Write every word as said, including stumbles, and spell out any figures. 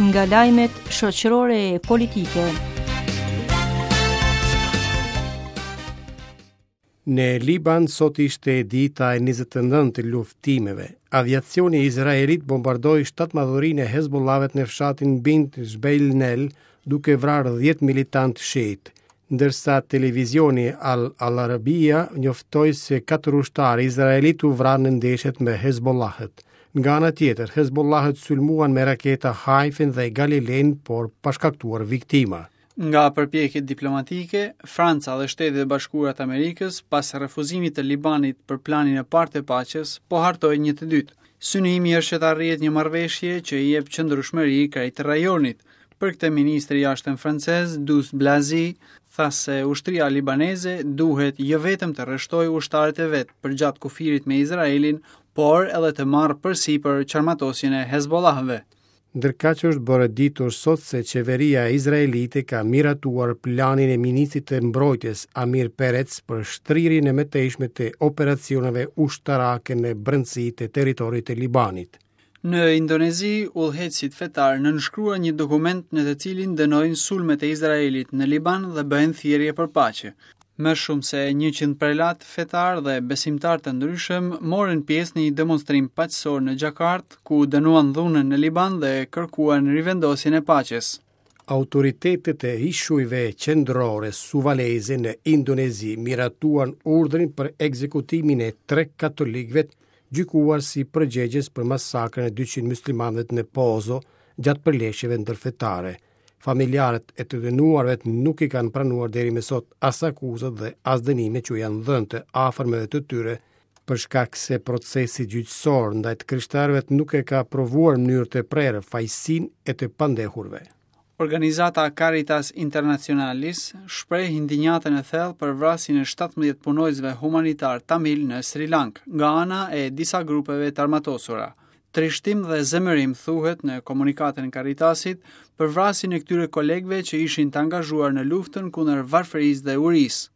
Nga lajmet shoqërore e politike. Në Liban sot ishte dita e njëzet e nëntë e luftimeve. Aviacioni izraelit bombardoi shtatë madhurinë e Hezbollahëve në fshatin Bint Jbeil, duke vrarë dhjetë militantë shiit. Ndërsa televizioni Al Al-Arabia njoftoi se katër ushtarë izraelit u vranë në ndeshjet me Hezbollahët. Nga ana tjetër, Hezbollahët sulmuan me raketa Haifin dhe Galilen, por pa shkaktuar viktima. Nga përpjekjet diplomatike, Franca dhe Shtetet e Bashkuara të Amerikës, pas refuzimit të Libanit për planin e parë të paqes, po hartojnë një të dytë. Synimi është që të arrihet një marrëveshje që i jep qëndrueshmëri krejt rajonit. Për këtë ministri i jashtëm francez Douste Blazy tha se ushtria libaneze duhet jo vetëm të rreshtojë ushtarët e vet përgjatë kufirit me Izraelin, por edhe të marrë përsipër çarmatosjen e Hezbollahëve. Ndërkaq është bërë e ditur sot se qeveria izraelite ka miratuar planin e ministrit të mbrojtjes Amir Peretz për shtrirjen e mëtejshme të operacioneve ushtarake në brendësi të territorit të Libanit. Në Indonezi, udhëheqësit fetar nënshkruan një dokument në të cilin dënojnë sulmet e Izraelit në Liban dhe bëjnë thirrje për paqe. Më shumë se njëqind prelat fetar dhe besimtar të ndryshëm morën pjesë në një demonstrim paqësor në Jakarta, ku dënuan dhunën në Liban dhe kërkuan rivendosjen e paqes. Autoritetet e ishujve qendrore Suvaleze në Indonezi miratuan urdhrin për ekzekutimin e tre katolikëve gjykuar si përgjegjës për masakrën e dyqind muslimanëve në Pozo gjatë përleshjeve ndërfetare. Familjarët e të dënuarve nuk i kanë pranuar deri më sot as akuzat dhe as dënimet që u janë dhënë të afërmeve të tyre, për shkak se procesi gjyqësor ndaj të krishterëve nuk e ka provuar në mënyrë të prerë fajsinë e të pandehurve. Organizata Caritas Internationalis shpreh indinjatën e thellë për vrasjen e shtatëmbëdhjetë punojësve humanitar tamil në Sri Lanka nga ana e disa grupeve të armatosura. Trishtim dhe zemërim thuhet në komunikatën e Caritasit për vrasjen e këtyre kolegëve që ishin të angazhuar në luftën kundër varfërisë dhe urisë.